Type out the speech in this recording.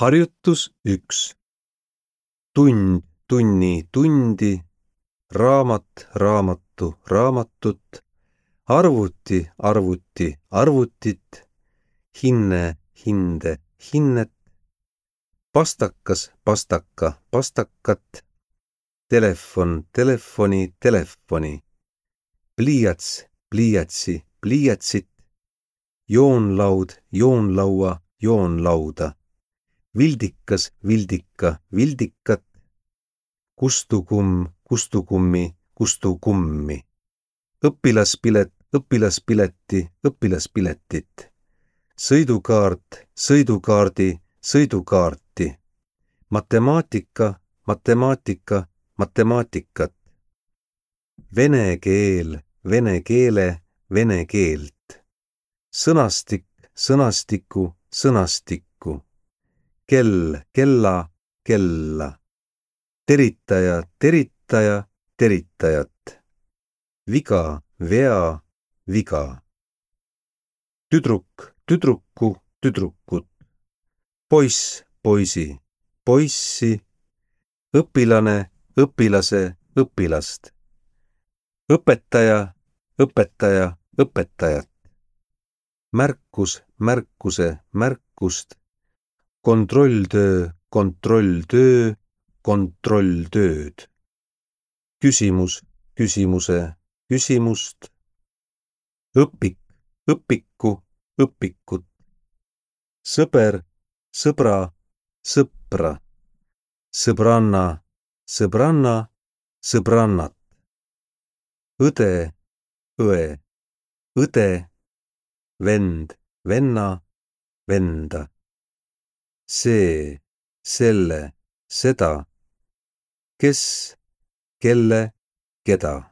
Harjutus 1. Tund, tunni, tundi, raamat, raamatu, raamatut, arvuti, arvuti, arvutit, hinne, hinde, hinnet, pastakas, pastaka, pastakat, telefon, telefoni, telefoni, pliiats, pliiatsi, pliiatsit, joonlaud, joonlaua, joonlauda, vildikas, vildika, vildikat, kustukumm, kustukummi, kustukummi, õpilaspilet, õpilaspileti, õpilaspiletit, sõidukaart, sõidukaardi, sõidukaarti, matemaatika, matemaatika, matemaatikat, vene keel, vene keele, vene keelt, sõnastik, sõnastiku, sõnastikku, kell, kella, kella, teritaja, teritaja, teritajat, viga, vea, viga, tüdruk, tüdruku, tüdrukut, poiss, poisi, poissi, õpilane, õpilase, õpilast, õpetaja, õpetaja, õpetajat, märkus, märkuse, märkust, kontrolltöö, kontrolltöö, kontrolltööd, küsimus, küsimuse, küsimust, õpik, õpiku, õpikut, sõber, sõbra, sõpra, sõbranna, sõbranna, sõbrannat, õde, õe, õde, vend, venna, venda, see, selle, seda, kes, kelle, keda.